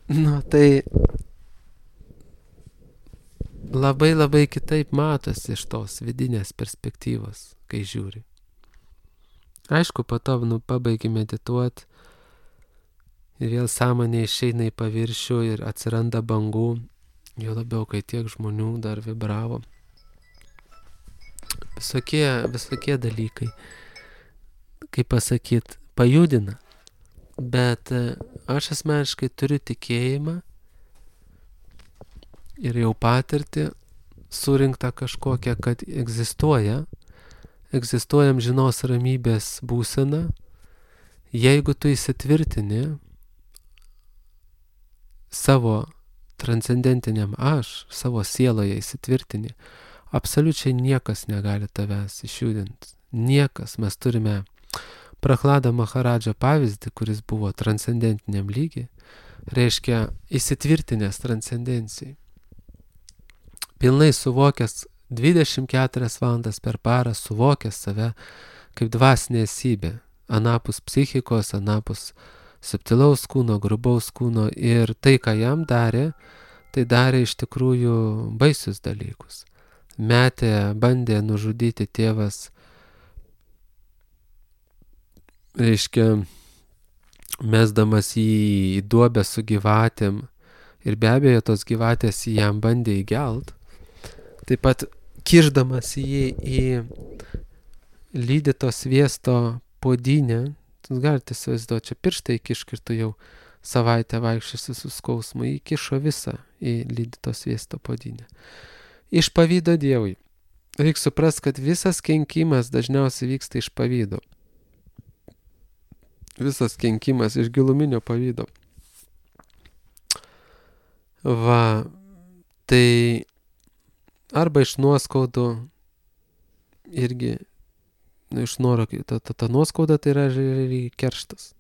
Nu, tai labai labai kitaip matosi iš tos vidinės perspektyvos, kai žiūri. Aišku, po to, nu, pabaigi medituoti ir vėl sąmonė išeina į paviršių ir atsiranda bangų, jo labiau, kai tiek žmonių dar vibravo. Visokie, visokie dalykai, kaip pasakyt, pajudina, bet aš asmeniškai turiu tikėjimą ir jau patirtį surinktą kažkokią, kad egzistuoja, egzistuoja amžinos ramybės būsena, jeigu tu įsitvirtini savo transcendentiniam aš, savo sieloje įsitvirtini, absoliučiai niekas negali tavęs išjudinti. Niekas. Mes turime Prahlado Maharadžo pavyzdį, kuris buvo transcendentiniam lygiai, reiškia įsitvirtinęs transcendencijai. Pilnai suvokęs dvidešimt keturias valandas per parą, suvokęs save kaip dvasinė esybė, anapus psichikos, anapus subtilaus kūno, grubaus kūno, ir tai, ką jam darė, tai darė iš tikrųjų baisius dalykus. Metė, bandė nužudyti tėvas, reiškia, mesdamas jį į duobę su gyvatėm ir be abejo tos gyvatės jam bandė įgelt, taip pat kišdamas jį į lydyto sviesto puodynę, jūs galite įsivaizduoti, čia pirštai įkišk ir tu jau savaitę vaikščiosi su skausmu, įkišo visą į lydyto sviesto puodynę. Iš pavydo Dievui. Reikia suprast, kad visas kenkimas dažniausiai vyksta iš pavydo. Visas kenkimas iš giluminio pavydo. Va, tai arba iš nuoskaudų irgi, iš noro, ta, ta, ta nuoskauda tai yra ir kerštas.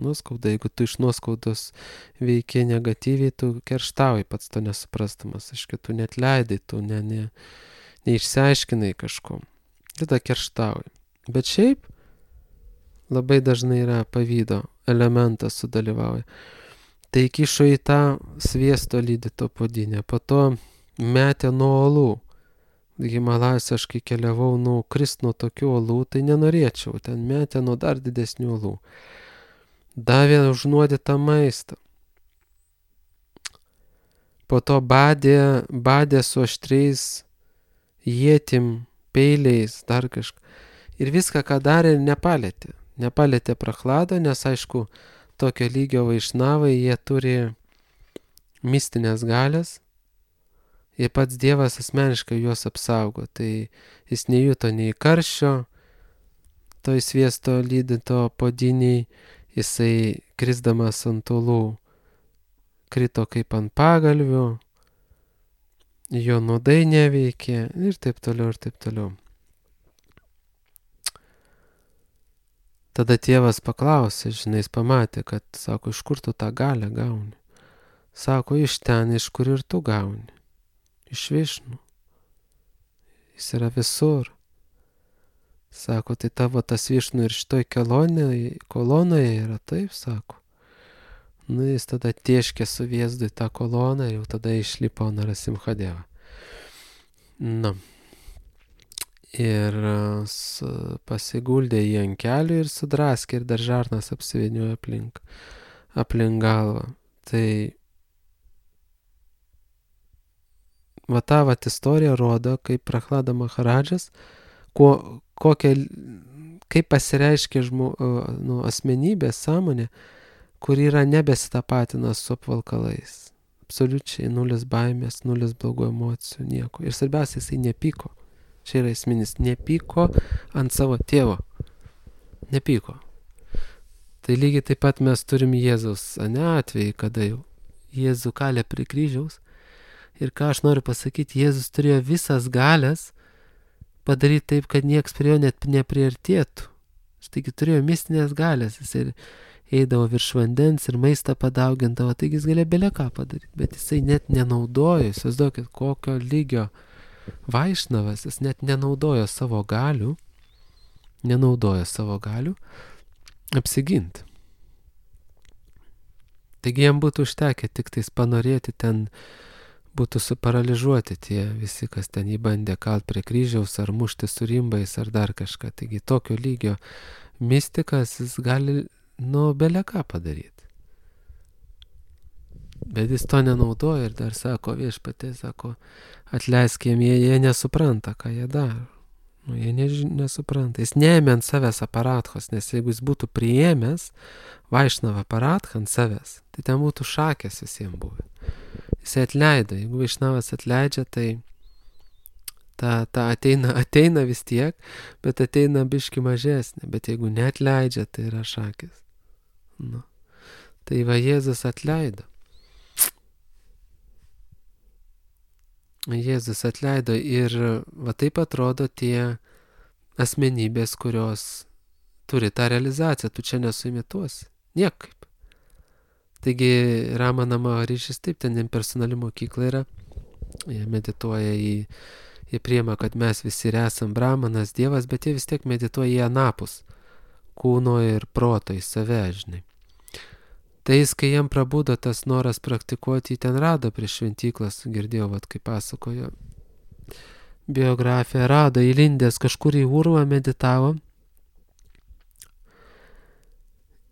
Nuoskauda, jeigu tu iš nuoskaudos veikia negatyviai, tu kerštauji pats to nesuprastamas, aiškiai, tu net leidai, tu ne, ne, neišsiaiškinai kažko, tada kerštauji. Bet šiaip labai dažnai yra pavydo elementas sudalyvauja. Tai kišo į tą sviesto lydyto puodynę, po to metė nuo olų. Himalajus aš kai keliavau, nu, krist nuo tokių olų, tai nenorėčiau, ten metė nuo dar didesnių olų. Davė užnuodytą maistą. Po to badė, badė su aštriais ietim, peiliais, dar kažką. Ir viską, ką darė, nepalėtė. Nepalėtė Prachladą, nes aišku, tokio lygio vaišnavai, jie turi mistinės galės. Ir pats Dievas asmeniškai juos apsaugo. Tai jis nejuto nei karščio, toj sviesto lydyto puodynėj, jisai krisdamas ant olų krito kaip ant pagalvių, jo nuodai neveikė ir taip toliau, ir taip toliau. Tada tėvas paklausė, žinai, jis pamatė, kad, sako, iš kur tu tą galę gauni? Sako, iš ten, iš kur ir tu gauni. Iš Višnų. Jis yra visur. Sako, tai tavo tas Višnų ir šitoj kelonėje, kolonoje yra taip, sako. Nu, jis tada tieškė su Vėzdu į tą koloną ir jau tada išlipo Narasimhadeva. Na. Ir pasiguldė jį ant kelių ir sudraskė ir dar žarnas apsiviniojo aplink, aplink galvą. Tai va ta vat istorija rodo, kaip Prachlada Maharadžas, kuo, kokia, kaip pasireiškia žmo, nu, asmenybės sąmonė, kur yra nebesitapatina su apvalkalais. Absoliučiai nulis baimės, nulis blogų emocijų, nieko. Ir svarbiausia, jisai nepyko. Čia yra esminis, nepyko ant savo tėvo. Nepyko. Tai lygiai taip pat mes turim Jėzaus, ane, atvejį, kada jau Jėzų kalė prie kryžiaus. Ir ką aš noriu pasakyti, Jėzus turėjo visas galias padaryti taip, kad nieks prie jo net nepriartėtų. Taigi turėjo mistinės galės, jis ir eidavo virš vandens ir maistą padaugindavo, taigi jis galėjo bele ką padaryti, bet jisai net nenaudojo, įsivaizduokit, kokio lygio Vaišnavas, jis net nenaudojo savo galių, nenaudojo savo galių apsiginti. Taigi jam būtų užtekę tik tais panorėti, ten būtų suparalyžuoti tie visi, kas ten jį bandė kalt prie kryžiaus ar mušti su rimbais ar dar kažką. Taigi tokio lygio mistikas jis gali, nu, bele ką padaryti. Bet jis to nenaudoja ir dar sako, Viešpatie, sako, atleisk jiem, jie, jie nesupranta, ką jie daro. Nu, jie než, nesupranta. Jis neėmė ant savęs aparatkos, nes jeigu jis būtų priėmęs Vaišnavą aparatką ant savęs, tai ten būtų šakės visiems buvę. Jis atleido. Jeigu Vaišnavas atleidžia, tai ta, ta ateina, ateina vis tiek, bet ateina biški mažesnė. Bet jeigu neatleidžia, tai yra šakės. Nu. Tai va Jėzus atleido. Jėzus atleido ir va taip atrodo tie asmenybės, kurios turi tą realizaciją, tu čia nesuimituosi, niekaip. Taigi Ramana Maharišis taip, ten impersonali mokykla yra, jie medituoja į, jie priima, kad mes visi esam Brahmanas, Dievas, bet jie vis tiek medituoja į anapus, kūno ir proto, į save, žinai. Tai jis, kai jam prabudo tas noras praktikuoti, jį ten rado prie šventyklas, girdėjau, vat, kaip pasakojo biografiją, rado įlindęs kažkur į urvą, meditavo.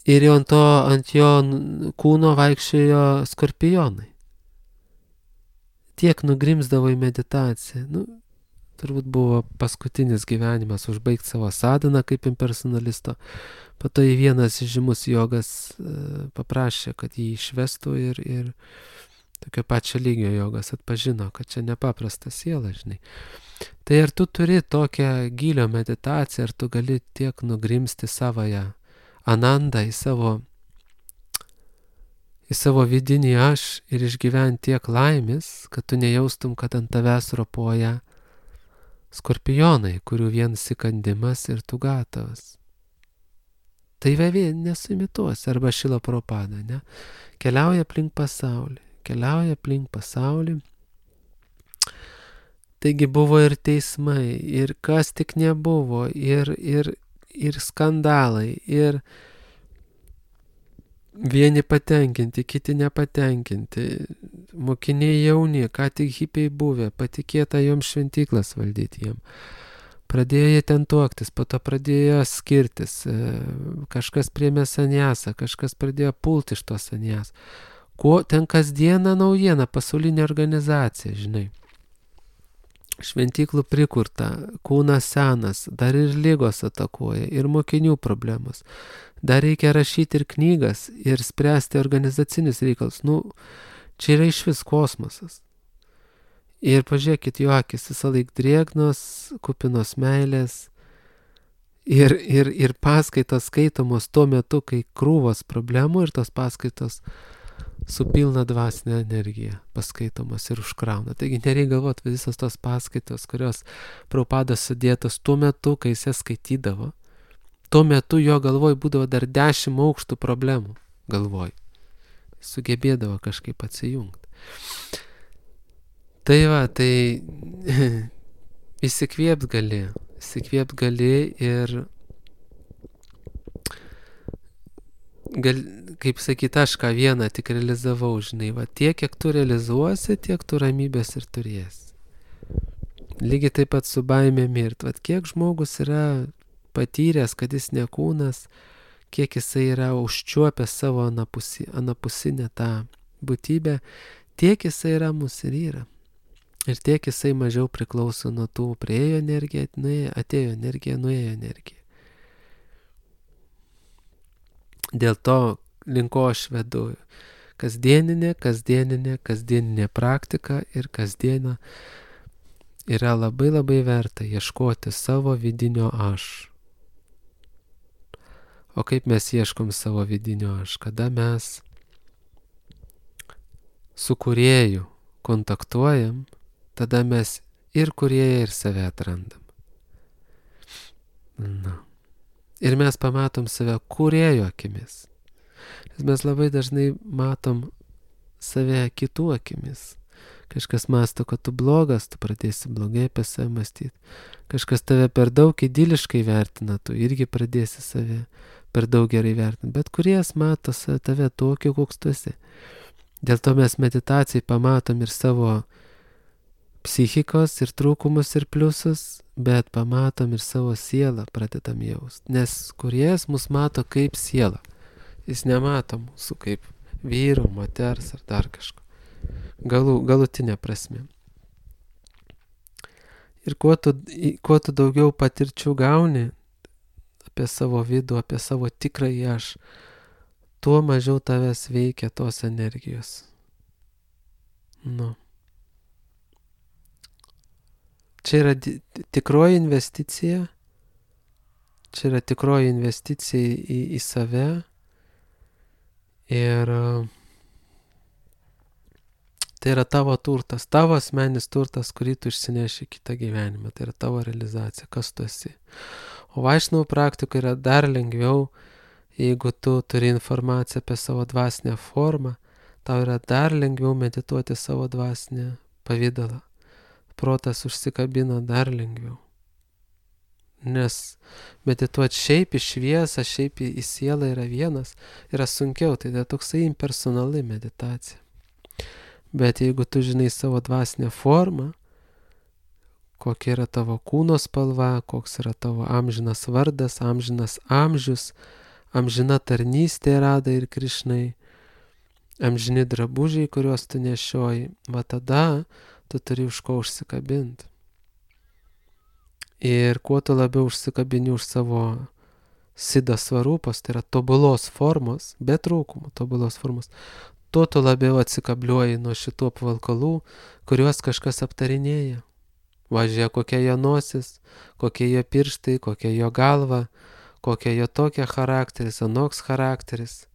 ir jau ant, to, ant jo kūno vaikščiojo skorpionai. Tiek nugrimzdavo į meditaciją. Nu, turbūt buvo paskutinis gyvenimas užbaigti savo sadhaną kaip impersonalisto. Po to į vienas žymus jogas paprašė, kad jį išvestų ir, ir tokio pačio lygio jogas atpažino, kad čia nepaprasta siela, žinai. Tai ar tu turi tokią gilio meditaciją, ar tu gali tiek nugrimsti savoje anandą į savo, į savo vidinį aš ir išgyventi tiek laimės, kad tu nejaustum, kad ant tavęs ropoja skorpionai, kurių vienas įkandimas ir tu gatavas. Tai vien nesuimituos, arba Šrila Prabhupada, ne? Keliauja aplink pasaulį, keliauja aplink pasaulį. Taigi buvo ir teismai, ir kas tik nebuvo, ir, ir, ir skandalai, ir vieni patenkinti, kiti nepatenkinti, mokiniai jauni, ką tik hipiai buvę, patikėta joms šventyklas valdyti jiem. Pradėjo jie ten tuoktis, po to pradėjo skirtis, kažkas priėmė sanjasą, kažkas pradėjo pulti iš to sanjas. Kuo ten kasdieną naujiena, pasaulinė organizacija, žinai. Šventyklų prikurta, kūnas senas, dar ir lygos atakuoja, ir mokinių problemos. Dar reikia rašyti ir knygas, ir spręsti organizacinius reikalus. Nu, čia yra iš vis kosmosas. Ir pažiūrėkit, jo akis visą laik drėgnos, kupinos meilės. Ir, ir, ir paskaitos skaitomos tuo metu, kai krūvos problemų ir tos paskaitos su pilna dvasinė energija paskaitomos ir užkrauna. Taigi nereikia galvoti, visos tos paskaitos, kurios Prabhupadas sudėtos tuo metu, kai jis skaitydavo, tuo metu jo galvoj būdavo dar dešimt aukštų problemų galvoj. Sugebėdavo kažkaip atsijungti. Tai va, tai įsikvėpt gali, įsikvėpt gali ir gal, kaip sakyt, aš ką vieną tik realizavau, žinai, va, tiek, kiek tu realizuosi, tiek tu ramybės ir turėsi. Lygiai taip pat su baimė mirt, va, kiek žmogus yra patyręs, kad jis ne kūnas, kiek jisai yra užčiuopęs savo anapusi, anapusinę tą būtybę, tiek jisai ramus ir yra. Ir tiek jisai mažiau priklauso nuo tų priejo energiją, nuėjo, atėjo energija, nuėjo energija. Dėl to linko aš vedu kasdieninė, kasdieninė, kasdieninė praktika ir kasdiena yra labai labai verta ieškoti savo vidinio aš. O kaip mes ieškom savo vidinio aš? Kada mes su kūrėju kontaktuojam, tada mes ir kūrėją, ir save atrandam. Na. Ir mes pamatom save kūrėjo akimis. Nes mes labai dažnai matom save kitų akimis. Kažkas mąsto, kad tu blogas, tu pradėsi blogai apie save mąstyti. Kažkas tave per daug idiliškai vertina, tu irgi pradėsi save per daug gerai vertinti. Bet kūrėjas mato tave tokį, koks tu esi. Dėl to mes meditacijai pamatom ir savo psichikos, ir trūkumus, ir pliusus, bet pamatom ir savo sielą, pradedam jaust. Nes kūrėjas mus mato kaip sielą. Jis nemato mūsų kaip vyro, moters ar dar kažko. Galu, galutinė prasme. Ir kuo tu, kuo tu daugiau patirčių gauni apie savo vidų, apie savo tikrąjį aš, tuo mažiau tavęs veikia tos energijos. Nu. Čia yra di- tikroji investicija, čia yra tikroji investicija į, į save ir tai yra tavo turtas, tavo asmenis turtas, kurį tu išsineši kitą gyvenimą, tai yra tavo realizacija, kas tu esi. O vaišnavų praktikoje yra dar lengviau, jeigu tu turi informaciją apie savo dvasinę formą, tau yra dar lengviau medituoti savo dvasinę pavidalą. Protas užsikabina dar lengviau. Nes medituoti šiaip į šviesą, šiaip į, į sielą yra vienas, yra sunkiau, tai yra toksai impersonali meditacija. Bet jeigu tu žinai savo dvasinę formą, kokia yra tavo kūno spalva, koks yra tavo amžinas vardas, amžinas amžius, amžina tarnystė Radai ir Krišnai, amžini drabužiai, kuriuos tu nešioji, va tada tu turi už ko užsikabinti. Ir kuo tu labiau užsikabini už savo Siddha svarupos, tai yra tobulos formos, be trūkumų, tobulos formos, tuo tu labiau atsikabliuoji nuo šitų apvalkalų, kuriuos kažkas aptarinėja. Važiuoja, kokia jo nosis, kokie jo pirštai, kokia jo galva, kokia jo tokia charakteris, anoks charakteris.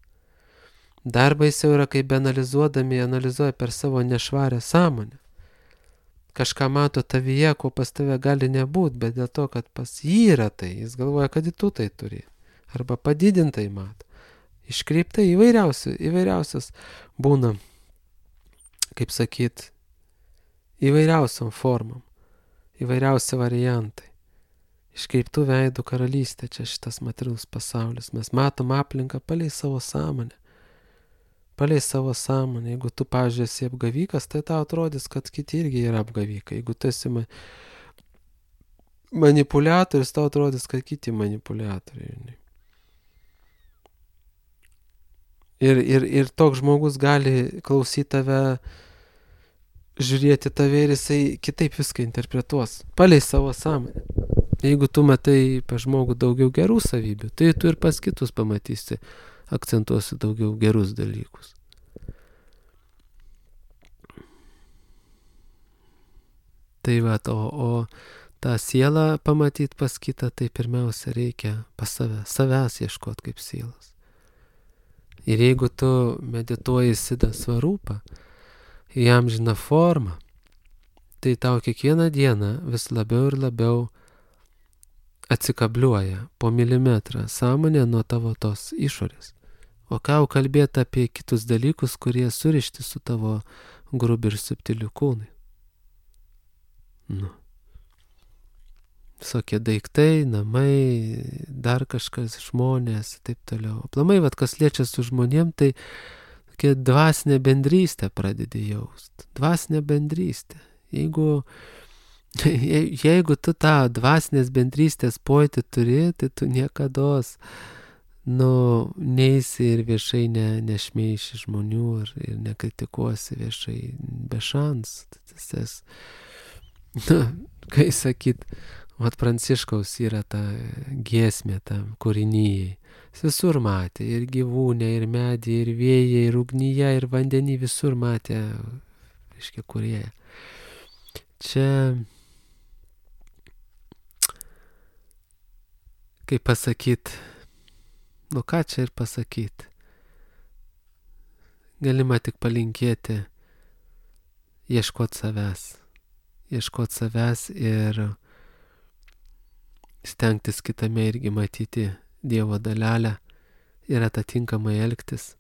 Dar baisiau yra, kai analizuodami, analizuoja per savo nešvarę sąmonę. Kažką mato tavyje, ko pas tave gali nebūti, bet dėl to, kad pas jį yra tai, jis galvoja, kad tu tai turi. Arba padidintai mato. Iškreiptai įvairiausių, įvairiausias būna, kaip sakyt, įvairiausiam formam, įvairiausi variantai. Iškreiptų veidų karalystė, čia šitas materialus pasaulis. Mes matom aplinką palei savo sąmonę. Palei savo sąmonę. Jeigu tu, pavyzdžiui, esi apgavikas, tai tau atrodys, kad kiti irgi yra apgavikai. Jeigu tu esi manipuliatorius, tau atrodys, kad kiti manipuliatoriai. Ir, ir, ir toks žmogus gali klausyti tave, žiūrėti tave ir jisai kitaip viską interpretuos, palei savo sąmonę. Jeigu tu matai pas žmogų daugiau gerų savybių, tai tu ir pas kitus pamatysi, akcentuosi daugiau gerus dalykus. Tai va, o, o tą sielą pamatyti pas kitą, tai pirmiausia reikia pas save, savęs ieškoti kaip sielos. Ir jeigu tu medituoji Siddha svarupą, į amžiną formą, tai tau kiekvieną dieną vis labiau ir labiau atsikabliuoja po milimetrą sąmonė nuo tavo tos išorės. O ką jau kalbėti apie kitus dalykus, kurie surišti su tavo grubiu ir subtiliu kūnui. Nu. Visokie daiktai, namai, dar kažkas, žmonės, taip toliau. Aplamai, vat, kas liečia su žmonėm, tai tokia dvasinė bendrystė pradedi jaust. Dvasinė bendrystė. Jeigu, jeigu tu tą dvasinės bendrystės pojūtį turi, tai tu niekados, nu, neisi ir viešai ne, nešmeiši žmonių ir, ir nekritikuosi viešai be šansų. Tas, nu, kai sakyt, vat Pranciškaus yra ta giesmė tam kūrinyjei. Jis visur matė, ir gyvūnę, ir medį, ir vėją, ir ugnyje, ir vandenį, visur matė, reiškia, kūrėją. Čia, kaip pasakyt, nu ką čia ir pasakyt, galima tik palinkėti ieškot savęs, ieškot savęs ir stengtis kitame irgi matyti Dievo dalelę ir atitinkamai elgtis.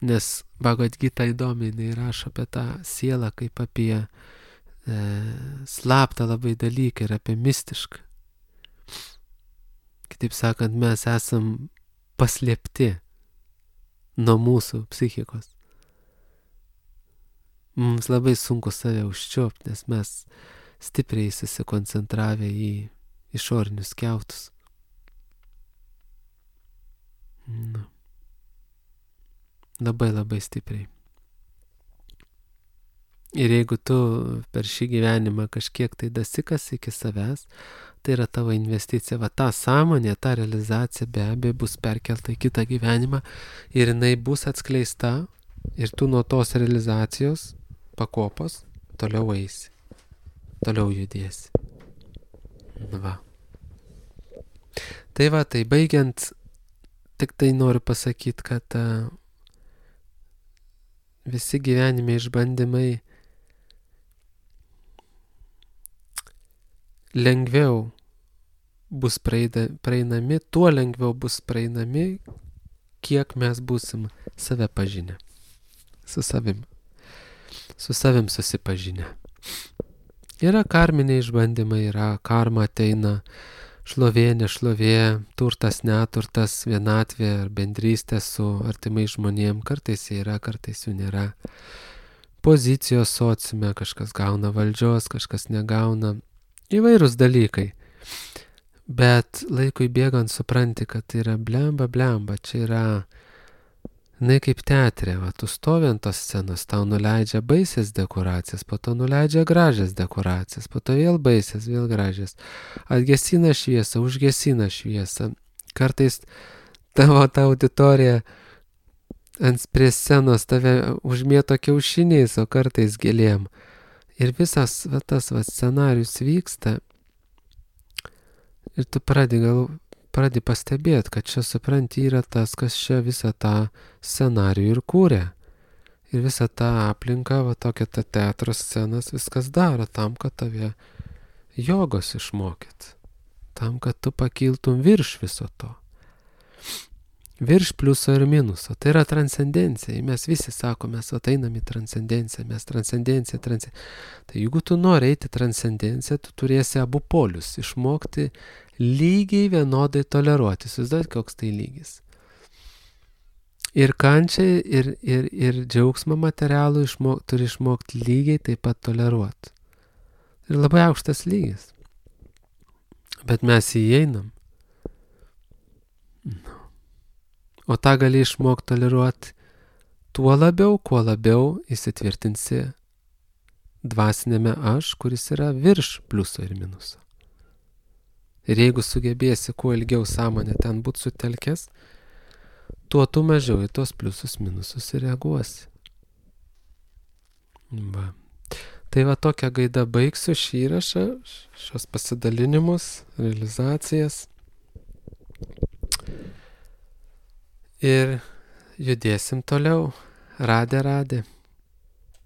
Nes Bhagavad Gita įdomiai jinai rašo apie tą sielą kaip apie e, slaptą labai dalyką ir apie mistišką. Kitaip sakant, mes esam paslėpti nuo mūsų psichikos. Mums labai sunku save užčiuopti, nes mes stipriai susikoncentravę į išorinius kiautus. Nu. Labai labai stipriai. Ir jeigu tu per šį gyvenimą kažkiek tai dasikas iki savęs, tai yra tavo investicija. Va ta sąmonė, ta realizacija be abejo bus perkelta į kitą gyvenimą ir jinai bus atskleista ir tu nuo tos realizacijos pakopos toliau eisi. Toliau judėsi. Va. Tai va, tai baigiant, tik tai noriu pasakyti, kad uh, visi gyvenime išbandymai lengviau bus praeida, praeinami, tuo lengviau bus praeinami, kiek mes būsim save pažinę. Su savim. Su savim susipažinę. Yra karminiai išbandymai, yra karma ateina, šlovė, nešlovė, turtas, neturtas, vienatvė ar bendrystė su artimai žmonėm. Kartais jie yra, kartais jų nėra. Pozicijos sociume, kažkas gauna valdžios, kažkas negauna. Įvairūs dalykai. Bet laikui bėgant supranti, kad tai yra blemba, blemba, čia yra, jinai kaip teatre, va, tu stovi ant tos scenos, tau nuleidžia baisės dekoracijas, po to nuleidžia gražias dekoracijas, po to vėl baisės, vėl gražias, atgesina šviesą, užgesina šviesą, kartais tavo ta auditorija ant prie scenos tave užmėto kiaušiniais, o kartais gėlėm. Ir visas va, tas va, scenarius vyksta ir tu pradedi, gal, pradedi pastebėti, kad čia supranti yra tas, kas čia visą tą scenarijų ir kūrė. Ir visą tą aplinką, va tokia ta teatro scenas viskas daro tam, kad tave jogos išmokyt. Tam, kad tu pakiltum virš viso to. Virš pliuso ir minuso. Tai yra transcendencija. Mes visi sakome, mes ateinam į transcendenciją, mes transcendenciją, transcendenciją. Tai jeigu tu nori eiti transcendenciją, tu turėsi abu polius. Išmokti lygiai vienodai toleruoti. Įsivaizduojat, koks tai lygis. Ir kančiai, ir, ir, ir džiaugsmą materialų išmok, turi išmokti lygiai taip pat toleruoti. Ir labai aukštas lygis. Bet mes įeinam. No. O tą gali išmokti toleruoti tuo labiau, kuo labiau įsitvirtinsi dvasinėme aš, kuris yra virš pliuso ir minuso. Ir jeigu sugebėsi kuo ilgiau sąmonę ten būti sutelkęs, tuo tu mažiau į tos pliusus minusus ir reaguosi. Va. Tai va tokia gaida baigsiu šį įrašą, šios pasidalinimus, realizacijas. Ir judėsim toliau. Radė, radė.